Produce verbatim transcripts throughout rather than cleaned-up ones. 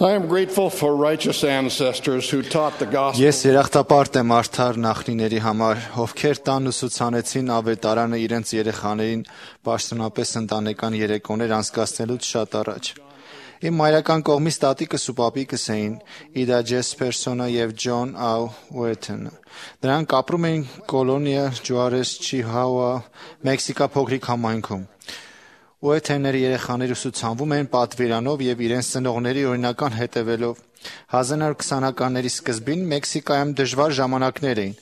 I am grateful for righteous ancestors who taught the gospel. Ես երախտապարտ եմ արդար նախնիների համար, ովքեր տան ուսուցանեցին ավետարանը իրենց երեխաներին պաշտոնապես ընտանեկան երեկոներ անցկացնելուց շատ առաջ։ Իմ մայրական կողմից տատիկս ու պապիկս էին Իդա Ջեսպերսոնը եւ Ջոն Աու Ուեթենը։ Նրանք ապրում էին Կոլոնիա Ջուարես Չիհաուա, Մեքսիկա փոքրիկ համայնքում։ Ուեթենների երեխաները ուսուցանվում են պատվիրանով եւ իրենց ծնողների օրինական հետևելով։ հազար նոր քսանականների սկզբին Մեքսիկայում դժվար ժամանակներ էին։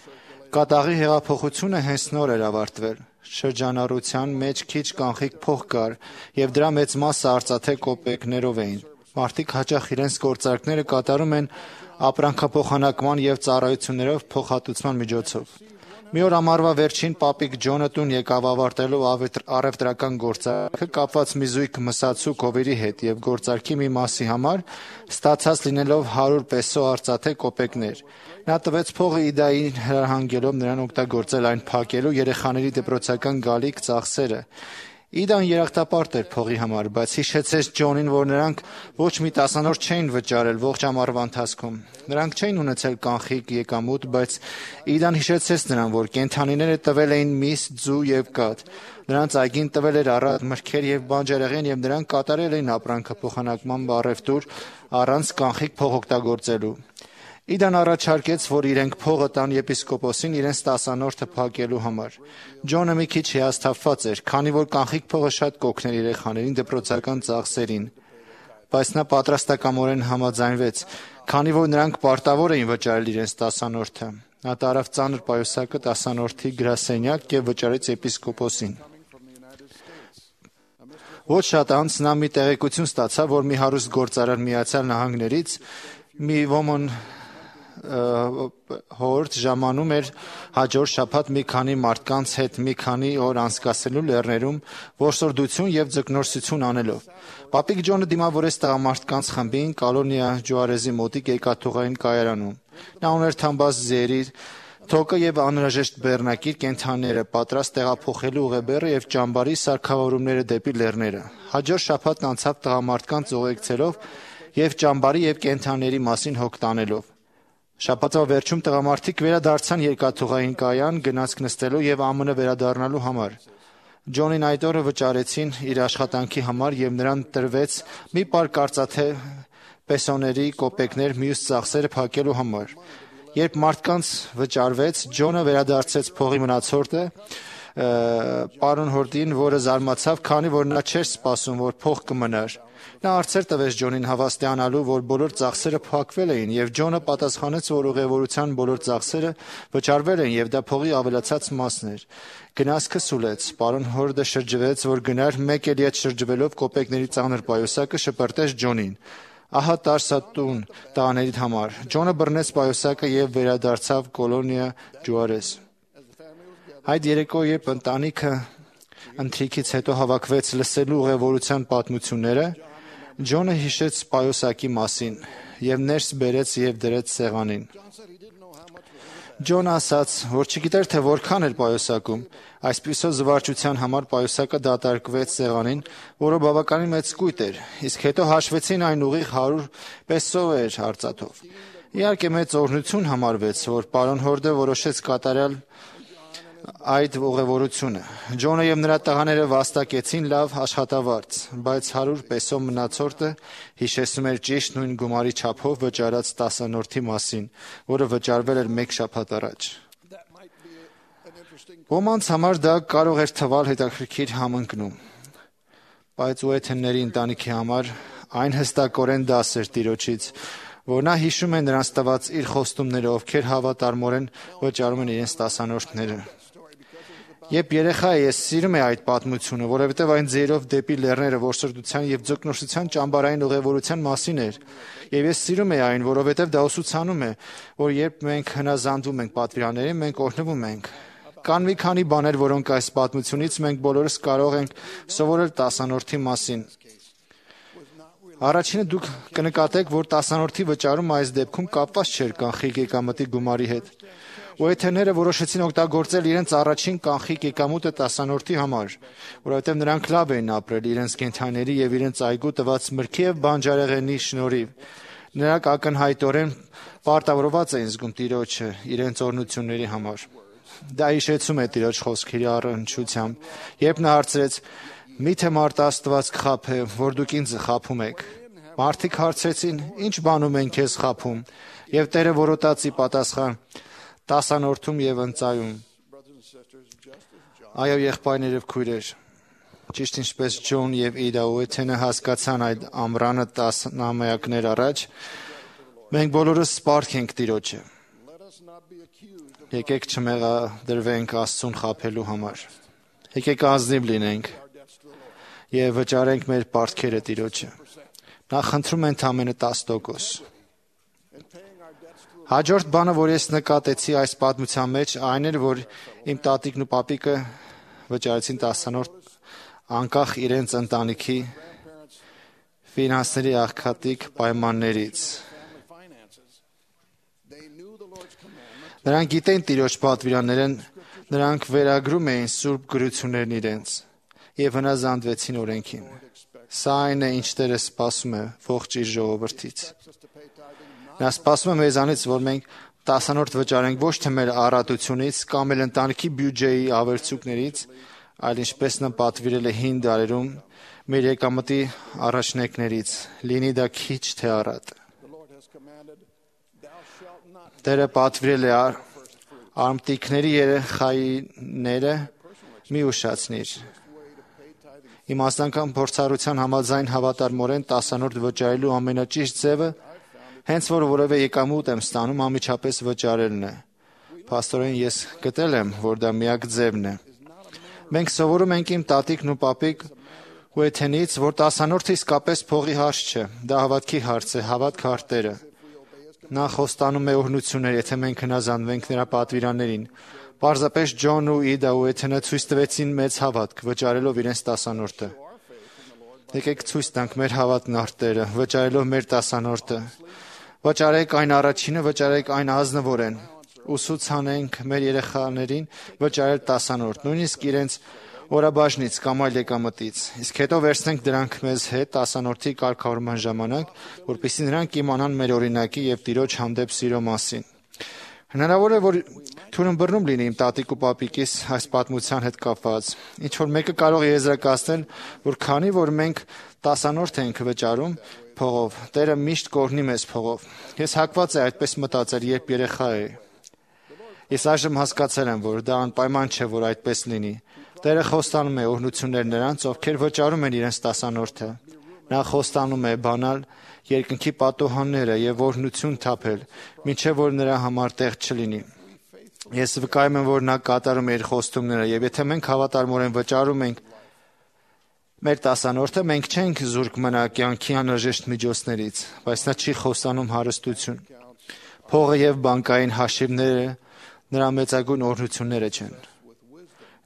Կատաղի հեղափոխությունը հենց նոր էր ավարտվել։ Շրջանառության մեջ քիչ կանխիկ փող կար եւ դրա մեծ մասը արծաթե կոպեկներով էին։ Մարդիկ հաճախ իրենց գործարքները կատարում են ապրանքափոխանակման եւ ծառայություններով փոխհատուցման միջոցով։ Մի օր ամառվա վերջին պապիկ Ջոնը տուն եկավ ավարտելով առևտրական գործարքը կապված մի զույգ մսացու կովերի հետ եւ գործարքի մի մասի համար ստացած լինելով հարյուր պեսո արծաթե կոպեկներ։ Նա տվեց փողը Իդային հրահանգելով նրան օգտագործել այն փակելու երեխաների դպրոցական գալիք ծախսերը։ Իդան երախտապարտ էր փողի համար, բայց հիշեցեց Ջոնին, որ նրանք ոչ մի տասանորդ չէին վճարել ողջ ամառվա ընթացքում։ Նրանք չէին ունեցել կանխիկ եկամուտ, բայց Իդան հիշեցեց նրան, որ կենդանիները տվել էին միս, ձու եւ կաթ։ Նրանց այգին տվել էր առատ մրգեր եւ բանջարեղեն եւ նրանք կատարել էին ապրանքափոխանակման առևտուր առանց կանխիկ փող օգտագործելու։ Իդան առաջարկեց, որ իրենք փողը տան եպիսկոպոսին իրենց տասանորդը փակելու համար։ Ջոնը մի քիչ հիասթափված էր, քանի որ կանխիկ փողը շատ կօգներ երեխաներին դպրոցական ծախսերին, բայց նա պատրաստակամորեն համաձայնվեց, քանի որ նրանք պարտավոր էին վճարել իրենց տասանորդը։ Նա տարավ ծանր պայուսակը տասանորդի գրասենյակ եւ վճարեց եպիսկոպոսին։ Ոչ շատ անց նա մի տեղեկություն ստացավ, որ մի հարուստ գործարար Միացյալ Նահանգներից մի ոմն հորդ ժամանում էր հաջորդ շաբաթ մի քանի մարդկանց հետ մի քանի օր անցկացնելու լեռներում որսորդություն եւ ձկնորսություն անելով։ Պապիկ Ջոնը դիմավորեց տղամարդկանց խմբին Կոլոնիա Ջուարեսի մոտիկ երկաթուղային կայարանում։ Նա ուներ թամբաց ձերի, թոկը եւ անհրաժեշտ բեռնակիր կենդանիները պատրաստ տեղափոխելու ուղեբեռը եւ ճամբարի սարքավորումները դեպի լեռները։ Հաջորդ շաբաթ անցավ տղամարդկանց ուղեկցելով եւ ճամբարի եւ կենդանիների մասին հոգ տանելով։ Շաբաթվա վերջում տղամարդիկ վերադարձան երկաթուղային կայան գնացք նստելու եւ ԱՄՆ վերադառնալու համար։ Ջոնին այդ օրը վճարեցին իր աշխատանքի համար եւ նրան տրվեց մի պարկ արծաթե պեսոների կոպեկներ մյուս ծախսերը փակելու համար։ Երբ մարդկանց վճարվեց, Ջոնը վերադարձեց փողի մնացորդը պարոն Հորդին, որը զարմացավ, քանի որ նա չէր սպասում, որ փող կմնար։ Նա հարցեր տվեց Ջոնին հավաստիանալու, որ բոլոր ծախսերը փակվել էին, եւ Ջոնը պատասխանեց, որ ուղևորության բոլոր ծախսերը վճարվել են եւ դա փողի ավելացած մասն էր։ Գնացքը սուլեց։ Պարոն Հորդը շրջվեց, որ գնար, մեկ էլի այդ շրջվելով կոպեկների ծանր պայուսակը շպրտեց Ջոնին։ Ահա տարսա տուն տղաներիդ համար։ Ջոնը բռնեց պայուսակը եւ վերադարձավ Կոլոնիա Ջուարես։ Այդ երեկո, երբ ընտանիքը ընթրիքից հետո հավաքվեց լսելու ուղևորության պատմությունները, Ջոնը հիշեց պայուսակի մասին եւ ներս բերեց եւ դրեց սեղանին։ Ջոնը ասաց, որ չգիտեր, թե որքան էր պայուսակում։ Այսպիսով զվարճության համար պայուսակը դատարկվեց սեղանին, որը բավականին մեծ կույտ էր, իսկ հետո հաշվեցին այն ուղիղ հարյուր պեսո էր արծաթով։ Իհարկե մեծ օրհնություն համարվեց, որ պարոն Հորդը որոշեց կատարել այդ ուղևորությունը։ Ջոնը եւ նրա տղաները վաստակեցին լավ աշխատավարձ, բայց հարյուր պեսո մնացորդը հիշեցնում էր ճիշտ նույն գումարի չափով վճարած տասանորդի մասին, որը վճարվել էր մեկ շաբաթ առաջ։ Ոմանց համար դա կարող էր թվալ հետաքրքիր համընկնում, բայց Ուեթենների ընտանիքի համար այն հստակորեն դաս էր Տիրոջից, որ նա հիշում է նրանց տված իր խոստումները, ովքեր հավատարմորեն վճարում են իրենց տասանորդները։ Երբ երեխա է, ես սիրում եմ այդ պատմությունը, որովհետև այն ձերով դեպի լեռները որսորդության եւ ձկնորսության ճամբարային ուղևորության մասին էր։ Եվ ես սիրում եմ այն, որովհետև դա ուսուցանում է, որ երբ մենք հնազանդվում ենք պատվիրաններին, մենք օրհնվում ենք։ Կան մի քանի բաներ, որոնք այս պատմությունից մենք բոլորս կարող ենք սովորել տասանորդի մասին։ Առաջինը դուք կնկատեք, որ տասանորդի վճարումը այս դեպքում կապված չէր կանխիկ եկամտի գումարի հետ։ Ուեթենները որոշեցին օգտագործել իրենց առաջին կանխիկ եկամուտը տասանորդի համար, որովհետև նրանք լավ էին ապրել իրենց կենդանիների եւ իրենց այգու տված մրգի եւ բանջարեղենի շնորհիվ։ Նրանք ակնհայտորեն պարտավորված էին զգում Տիրոջը իրենց օրհնությունների համար։ Դա հիշեցում է Տիրոջ խոսքերի առնչությամբ, երբ նա հարցրեց. «Միթե մարդ Աստված կխաբե, որ դուք ինձ խաբում եք»։ Մարդիկ հարցրեցին. «Ինչ բանում են քեզ խաբում»։ Եվ Տերը որոտացի պատասխան. «Տասանորդում եւ ընծայում»։ Այո, եղբայրներ եւ քույրեր, ճիշտ ինչպես Ջոն եւ Իդա Ուեթենը հասկացան այդ ամռանը տասնամյակներ առաջ, մենք բոլորս սպառք ենք Տիրոջը։ Եկեք չմեղադրվենք Աստծուն խաբելու համար։ Եկեք ազնիվ լինենք եւ վճարենք մեր պարտքերը Տիրոջը։ Նա խնդրում է ընդամենը տասը տոկոս։ Հաջորդ բանը, որ ես նկատեցի այս պատմության մեջ, այն էր, որ իմ տատիկն ու պապիկը վճարեցին տասանորդ անկախ իրենց ընտանիքի ֆինանսների աղքատիկ պայմաններից։ Նրանք գիտեն Տիրոջ պատվիրանները, նրանք վերագրում էին սուրբ գրություններն իրենց եւ հնազանդվեցին օրենքին։ Սա այն է, ինչ Տերը սպասում է ողջ իր ժողովրդից։ Նա սպասում է մեզանից, որ մենք տասանորդ վճարենք ոչ թե մեր առատությունից կամ էլ ընտանիքի բյուջեի ավերցուկներից, այլ ինչպես նա պատվիրել է հին դարերում մեր եկամտի առաջնեկներից, լինի դա քիչ թե առատ։ Տերը պատվիրել է արմտիկների երեխաները մի ուշացնիր։ Իմաստանական փորձառության համաձայն հավատարմորեն տասանորդ վճարելու ամենաճիշտ ձևը, հենց որ որևէ եկամուտ եմ ստանում, անմիջապես վճարելն է։ Փաստորեն ես գտել եմ, որ դա միակ ձևն է։ Մենք սովորում ենք իմ տատիկն ու պապիկ Ուեթենից, որ տասանորդը իսկապես փողի հարց չէ, դա հավատքի հարց է, հավատք արտերը։ Նա խոստանում է օրհնություններ, եթե մենք հնազանդվենք նրա պատվիրաններին։ Պարզապես Ջոն ու Իդա Ուեթենը ցույց տվեցին մեծ հավատք, վճարելով իրենց տասանորդը։ Եկեք ցույց տանք մեր հավատքն արտերը, վճարելով մեր տասանորդը։ Վճարեք այն առաջինը, վճարեք այն ազնվորեն։ Ուսուցանենք մեր երեխաներին վճարել տասանորդ, նույնիսկ իրենց օրաբաժնից կամ այլ եկամտից, իսկ հետո վերցնենք դրանք մեզ հետ տասանորդի կարգավորման ժամանակ, որպեսզի նրանք իմանան մեր օրինակի եւ Տիրոջ հանդեպ սիրո մասին։ Հնարավոր է, որ թուրըմբռնում լինի իմ տատիկ ու պապիկիս այս պատմության հետ կապված։ Ինչ որ մեկը կարող է եզրակացնել, որ քանի որ մենք տասանորդ ենք վճարում փողով, Տերը միշտ կօրհնի մեզ փողով։ Ես հակված եմ այդպես մտածել, երբ երեխա էի։ Ես այժմ հասկացել եմ, որ դա անպայման չէ, որ այդպես լինի։ Տերը խոստանում է օրհնություններ նրանց, ովքեր վճարում են իրենց տասանորդը։ Նա խոստանում է բանալ երկնքի պատոհանները եւ օրհնություն թափել, մինչեւ որ նրա համար տեղ չլինի։ Ես վկայում եմ, որ նա կատարում է իր խոստումները, եւ եթե մենք հավատարմորեն վճարում ենք մեր տասանորդը, մենք չենք զուրկ մնա կյանքի անհրաժեշտ միջոցներից, բայց նա չի խոստանում հարստություն։ Փողը եւ բանկային հաշիվները նրա մեծագույն օրհնությունները չեն։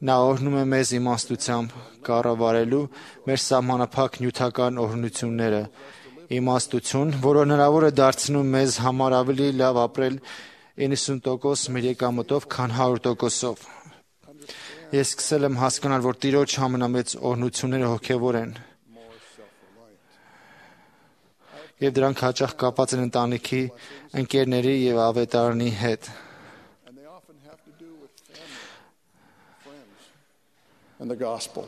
Նա օրհնում է մեզ իմաստությամբ կառավարելու մեր սահմանափակ նյութական օրհնությունները, իմաստություն, որը հնարավոր է դարձնում մեզ համար ավելի լավ ապրել իննսուն տոկոս մեր եկամտով, քան հարյուր տոկոսով։ Ես սկսել եմ հասկանալ, որ Տիրոջ ամենամեծ օրհնությունները հոգևոր են, եւ դրանք հաճախ կապված են ընտանիքի, ընկերների եւ ավետարանի հետ։ And the gospel.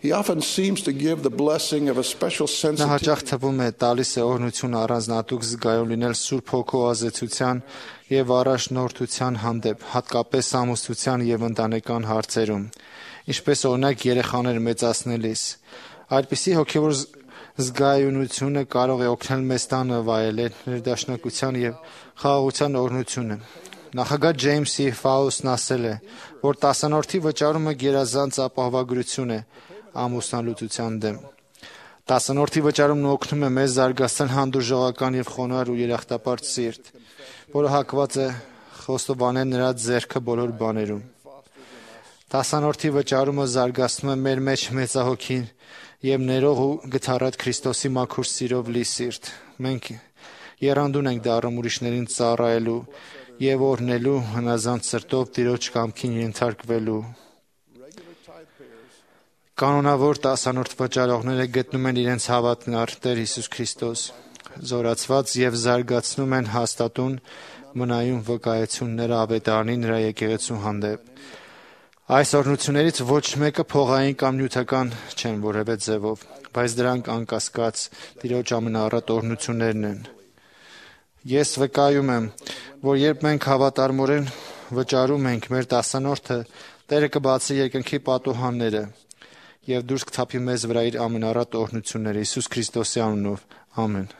He often seems to give the blessing of a special sense Նա of հաճախ թվում է տալիս է օրհնություն առանձնատուկ զգայուն լինել Սուրբ Հոգու ազդեցության եւ առաջնորդության հանդեպ, հատկապես ամուսնության եւ ընտանեկան հարցերում, ինչպես օրինակ երեխաներ մեծացնելիս։ Այդպիսի հոգևոր զգայունությունը կարող է օգնել մեզ տանը վայելել ներդաշնակության եւ խաղաղության օրհնությունը։ Նախագահ Ջեյմսի Ֆաուստն ասել է, որ տասանորդի վճարումը գերազանց ապահովագրություն է ամուսնալուծության դեմ։ Տասանորդի վճարումն օգնում է մեզ զարգացնել հանդուրժողական եւ խոնարհ ու երախտապարտ սիրտ, որը հակված է խոստովանել նրա ձեռքը բոլոր բաներում։ Տասանորդի վճարումը զարգացնում է մեր մեջ մեծահոգին եւ ներող ու գթառատ Քրիստոսի մաքուր սիրով լի սիրտ։ Մենք եռանդուն ենք դառնում ուրիշներին ծառայելու եւ օրհնելու հնազանդ սրտով Տիրոջ կամքին ենթարկվելու։ Կանոնավոր տասանորդ վճարողները գտնում են իրենց հավատքն առ Տեր Հիսուս Քրիստոս։ զորացված եւ զարգացնում են հաստատուն մնայուն վկայությունները ավետարանի նրա եկեղեցու հանդեպ։ Այս օրհնություններից ոչ մեկը փողային կամ նյութական չեն որևէ ձևով, բայց դրանք անկասկած Տիրոջ ամենաառատ օրհնություններն են։ Ես վկայում եմ, որ երբ մենք հավատարմորեն վճարում ենք մեր տասանորդը, Տերը կբացի երկնքի պատուհանները եւ դուրս կթափի մեզ վրա իր ամենաառատ օրհնությունները Հիսուս Քրիստոսի անունով։ Ամեն։